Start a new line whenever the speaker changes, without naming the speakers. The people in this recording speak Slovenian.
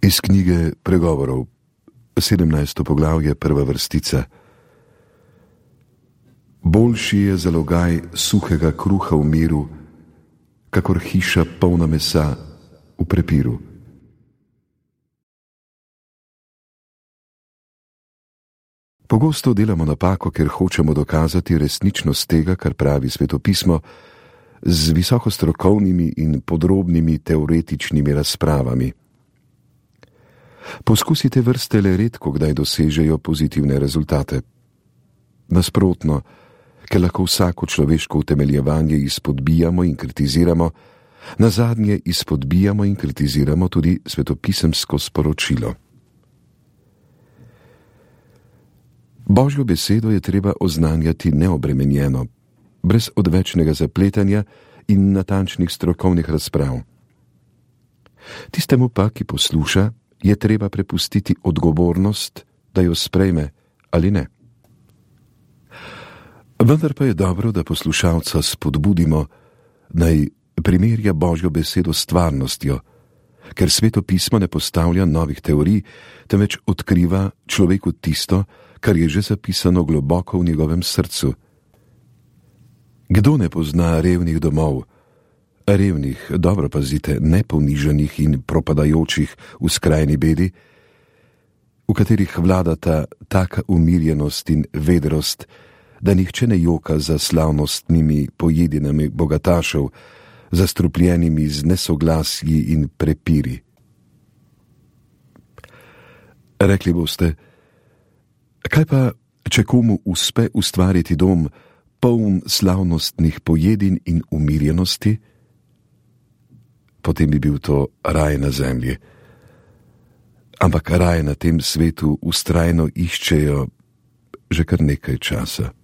Iz knjige Pregovorov, 17. poglavje, prva vrstica. Boljši je zalogaj suhega kruha v miru, kakor hiša polna mesa v prepiru. Pogosto delamo napako, ker hočemo dokazati resničnost tega, kar pravi svetopismo, z visokostrokovnimi in podrobnimi teoretičnimi razpravami. Poskusite vrste le redko kdaj dosežejo pozitivne rezultate. Nasprotno, ker lahko vsako človeško utemeljevanje izpodbijamo in kritiziramo, nazadnje izpodbijamo in kritiziramo tudi svetopisemsko sporočilo. Božjo besedo je treba oznanjati neobremenjeno, brez odvečnega zapletanja in natančnih strokovnih razprav. Tistemu pa, ki posluša, je treba prepustiti odgovornost, da jo sprejme ali ne. Vendar pa je dobro, da poslušalca spodbudimo, naj primerja Božjo besedo s stvarnostjo, ker svetopismo ne postavlja novih teorij, temveč odkriva človeku tisto, kar je že zapisano globoko v njegovem srcu. Kdo ne pozna revnih domov? Revnih, dobro pazite, ne ponižanih in propadajočih v skrajni bedi, v katerih vladata taka umirjenost in vedrost, da nihče ne joka za slavnostnimi pojedinami bogatašev, zastrupljenimi z nesoglasji in prepiri. Rekli boste, kaj pa, če komu uspe ustvariti dom, poln slavnostnih pojedin in umirjenosti? Potem bi bil to raj na zemlji. Ampak raj na tem svetu vztrajno iščejo že kar nekaj časa.